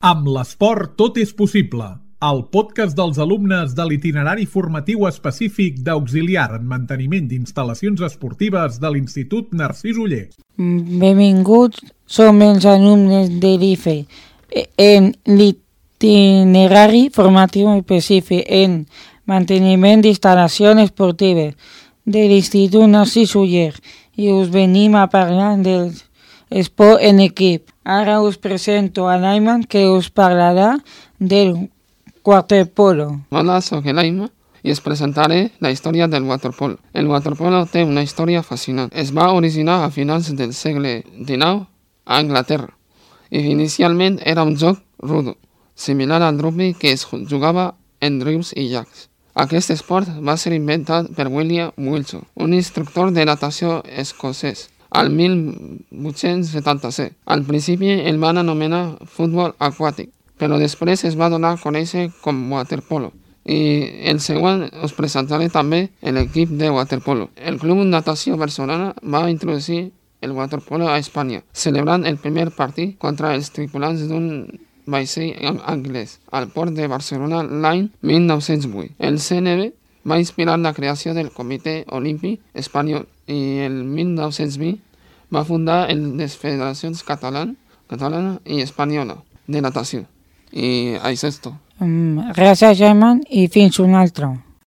Amb l'esport tot és possible. El podcast dels alumnes de l'itinerari formatiu específic d'auxiliar en manteniment d'instal·lacions esportives de l'Institut Narcís Oller. Benvinguts, som els alumnes de l'IFE en l'itinerari formatiu específic en manteniment d'instal·lacions esportives de l'Institut Narcís Oller i us venim a parlar del esport en equip. Ara us presento a l'Ayman, que us parlarà del waterpolo. Hola, soc l'Ayman i us presentaré la història del waterpolo. El waterpolo té una història fascinant. Es va originar a finals del segle XIX a Anglaterra i inicialment era un joc rudo, similar al rugby que es jugava en rius i llacs. Aquest esport va ser inventat per William Wilson, un instructor de natació escocès, al 1877. Al principi el van anomenar futbol aquàtic, però després es va donar a conèixer com waterpolo. I el següent us presentaré també l'equip de waterpolo. El Club Natació Barcelona va introduir el waterpolo a Espanya, celebrant el primer partit contra els tripulants d'un vaixell anglès al port de Barcelona l'any 1908. El CNB va inspirar la creació del Comitè Olímpic Espanyol i el 1920 va fundar les federacions catalana i espanyola de natació. I això és tot. Gràcies, Ayman, i fins un altre.